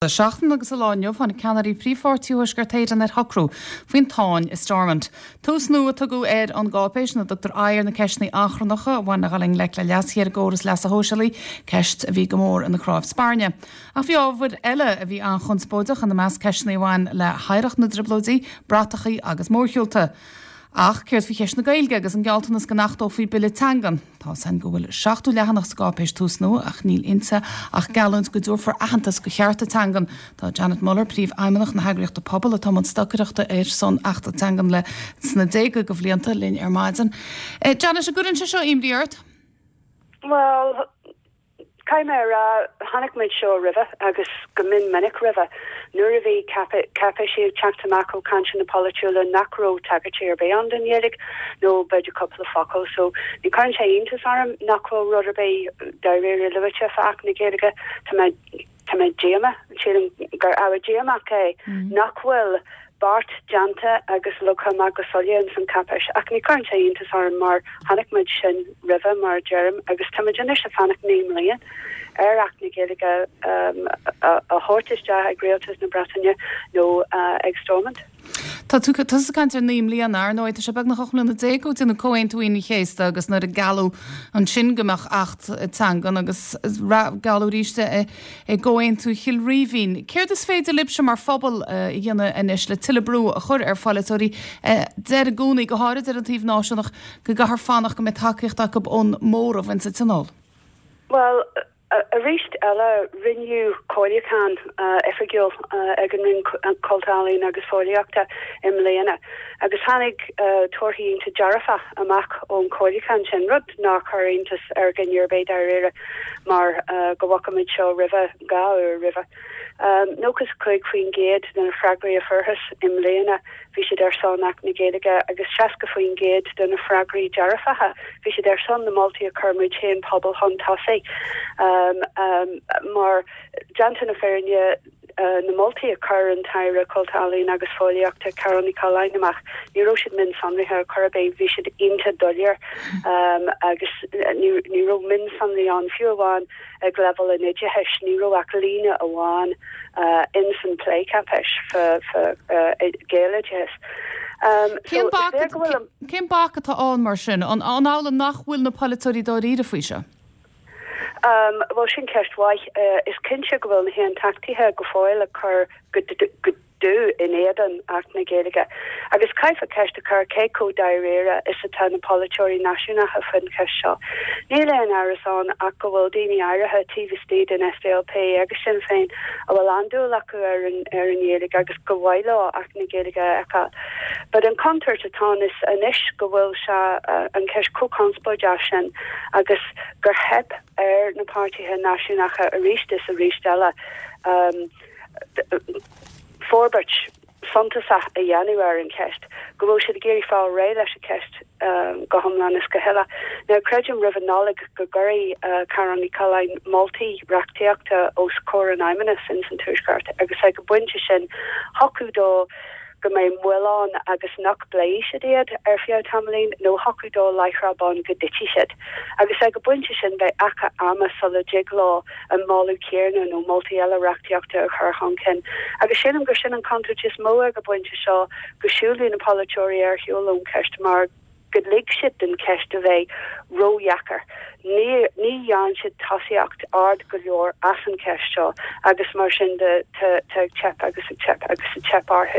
Seachtain agus sa lá inniu tháinig ceannairí príomhpháirtí Thuaisceart Éireann ar shocrú faoin tsáinn i Stormont. Tús Nua a tugadh ar an gcáipéis ina dtugtar aghaidh ar na ceisteanna achrannacha a bhain le dhul i ngleic le leasuithe ar an gcóras leasa shóisialaigh, ceist a bhí go mór ina cnámh spairne. Ach bhí ábhair eile a bhí an-chonspóideach, ina measc ceisteanna a bhain le hoidhreacht na dTrioblóidí, bratachaí agus mórshiúlta. Ach céard faoi cheist na Gaeilge agus an gealltanas go n-achtófaí bille teangan? Tá 's againn go bhfuil 70 leathanach sa gcáipéis Tús Nua ach níl inti ach geallúint go dtabharfar aitheantas do chearta teangan. Tá Janet Muller, Príomhfheidhmeannach na heagraíochta Pobal atá i mbun stocaireachta ar son Achta Teangan le sna déaga de bhlianta, linn ar maidin. Janet, an gcuireann sé seo imní ort? Bhuel, Caithfidh mé a rá, chonaic muid seo roimhe agus go mion minic roimhe, nuair a bhí cáipéisí ag teacht amach ó chainteanna polaitiúla nach raibh tagairtí ar bith ann don Ghaeilge, nó b'fhéidir cúpla focal. So, ní chuireann sé iontas orm nach bhfuil rud ar bith dáiríre luaite fá Acht na Gaeilge. Tá mé Tá mé díomách, sílim gur ábhar díomách é nach bhfuil beart déanta agus leagtha amach go soiléir ins an cháipéis. Ach ní chuireann sé iontas orm mar chonaic muid sin roimhe, mar a deirim, agus tá muid anois ag fanacht 9 mbliain ar Acht na Gaeilge a thabhairt isteach ag Rialtas na Breataine nó ag Stormont. Tá tú tusa ag caint ar 9 mbliana, ar ndóigh tá sé beagnach 18 mbliana ó déanadh Comhaontú Aoine an Chéasta agus nuair a gealladh ansin go mbeadh Acht Teangan agus gealladh arís é i gComhaontú Chill Rímhinn. Céard is féidir libhse mar phobal a dhéanamh anois le tuilleadh brú a chur ar pholaiteoirí a deir i gcónaí, go háirid ar an taobh náisiúnach, go gcaithfear fanacht go mbeidh tacaíocht acu ón móramh insa Tionól? Bhuel, Arís eile, rinneadh comhairliúchán oifigiúil ag an Roinn Cultúir, Ealaíon agus Fóillíochta i mbliana agus tháinig torthaí iontach dearfach amach ón chomhairliúchán sin, rud nár chuir iontas ar dhuine ar bith dáiríre mar go bhfaca muid seo roimhe, 2 uair roimhe. 95% de na freagraí a fuarthas i mbliana, bhí siad ar son Acht na Gaeilge agus 60% de na freagraí dearfacha, bhí siad ar son na moltaí a chuir muid féin, pobal, chun tosaigh. Mar, déanta na fírinne, na moltaí a chuir an tAire Cultúir, Ealaíon agus Fóillíochta, Carál Ní Chuileáin amach, ní raibh siad mionsonraithe ar chor ar bith, bhí siad iontach doiléir agus ní raibh mionsonraí ann, fiú amháin ag leibhéal an oideachais, ní raibh ach líne amháin ins an plécháipéis fá Ghaeloideachas. So, is léir go bhfuil an. Cén bac atá ann mar sin? An amhlaidh nach bhfuil na polaiteoirí dáiríre faoi seo? Bhuel, sin ceist mhaith. Is cinnte go bhfuil na hAontachtaithe go fóill ag cur go. dubh in éadan Acht na Gaeilge. Agus caithfear ceist a chur cé chomh dáiríre is atá na polaiteoirí náisiúnacha faoin cheist seo. Níl aon amhras ann ach go bhfuil daoine áirithe taobh istigh den SDLP agus Sinn Féin a bhfuil an-dúil acu ar an ar an nGaeilge agus gur mhaith leo Acht na Gaeilge a fheiceáil. But an chontúirt atá ann is anois go bhfuil sé an cheist chomh conspóideach sin agus gur theip ar na páirtithe náisiúnacha arís is arís eile forbairt suntasach a dhéanamh ar an cheist, go bhfuil siad ag iarraidh fáil réidh leis an cheist go hiomlán is go huile. Now, creidim roimh an Nollaig go gcuirfidh Carál Ní Chuileáin moltaí reachtaíochta os comhair an Fheidhmeannais ins an Tuaisceart agus ag an bpointe sin thiocfadh dó go mbeidh moill ann agus nach bpléifidh siad iad ar feadh tamaillín, nó thiocfadh dó láithreach bonn go dtitfidh siad. Agus ag an bpointe sin beidh achar ama sula dtig leo an moladh céanna nó moltaí eile reachtaíochta a chur chun cinn. Agus sílim gur sin an chontúirt is mó ag an bpointe seo, go siúlfaidh na polaiteoirí ar shiúl ón cheist mar go lig siad don cheist a bheith ródheacair. Ní ní dhearn siad tosaíocht ard go leor as an cheist seo agus mar sin de tá ag teip agus ag teip agus ag teip orthu.